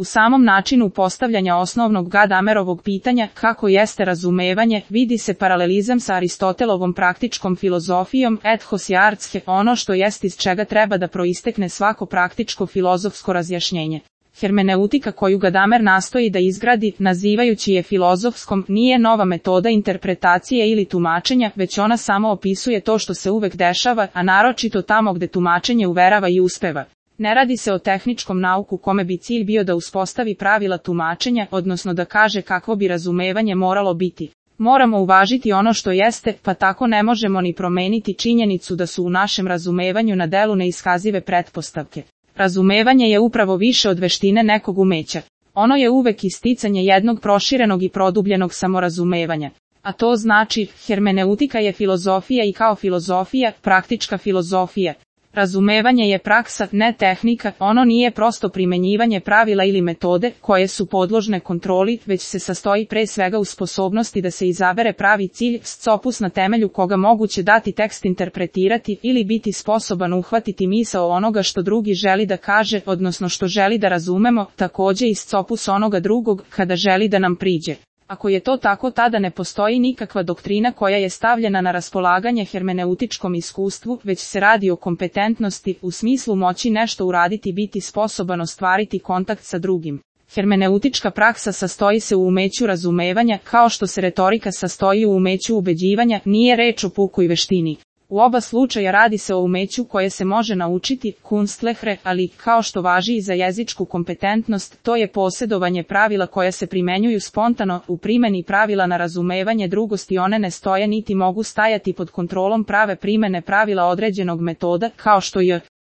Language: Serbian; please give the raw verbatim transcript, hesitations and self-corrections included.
U samom načinu postavljanja osnovnog Gadamerovog pitanja kako jeste razumevanje vidi se paralelizam sa Aristotelovom praktičkom filozofijom ethos i artske, ono što jest iz čega treba da proistekne svako praktičko filozofsko razjašnjenje. Hermeneutika koju Gadamer nastoji da izgradi, nazivajući je filozofskom, nije nova metoda interpretacije ili tumačenja, već ona samo opisuje to što se uvek dešava, a naročito tamo gde tumačenje uverava i uspeva. Ne radi se o tehničkom nauku kome bi cilj bio da uspostavi pravila tumačenja, odnosno da kaže kakvo bi razumevanje moralo biti. Moramo uvažiti ono što jeste, pa tako ne možemo ni promeniti činjenicu da su u našem razumevanju na delu neiskazive pretpostavke. Razumevanje je upravo više od veštine nekog umeća. Ono je uvek isticanje jednog proširenog i produbljenog samorazumevanja. A to znači, hermeneutika je filozofija i kao filozofija, praktička filozofija. Razumevanje je praksa, ne tehnika, ono nije prosto primenjivanje pravila ili metode koje su podložne kontroli, već se sastoji pre svega u sposobnosti da se izabere pravi cilj, scopus na temelju koga moguće dati tekst interpretirati ili biti sposoban uhvatiti misao onoga što drugi želi da kaže, odnosno što želi da razumemo, takođe i scopus onoga drugog kada želi da nam priđe. Ako je to tako, tada ne postoji nikakva doktrina koja je stavljena na raspolaganje hermeneutičkom iskustvu, već se radi o kompetentnosti, u smislu moći nešto uraditi, biti sposoban ostvariti kontakt sa drugim. Hermeneutička praksa sastoji se u umeću razumevanja, kao što se retorika sastoji u umeću ubeđivanja, nije reč o pukoj veštini. U oba slučaja radi se o umeću koje se može naučiti, kunstlehre, ali, kao što važi i za jezičku kompetentnost, to je posjedovanje pravila koja se primenjuju spontano, u primeni pravila na razumevanje drugosti one ne stoje niti mogu stajati pod kontrolom prave primene pravila određenog metoda, kao što je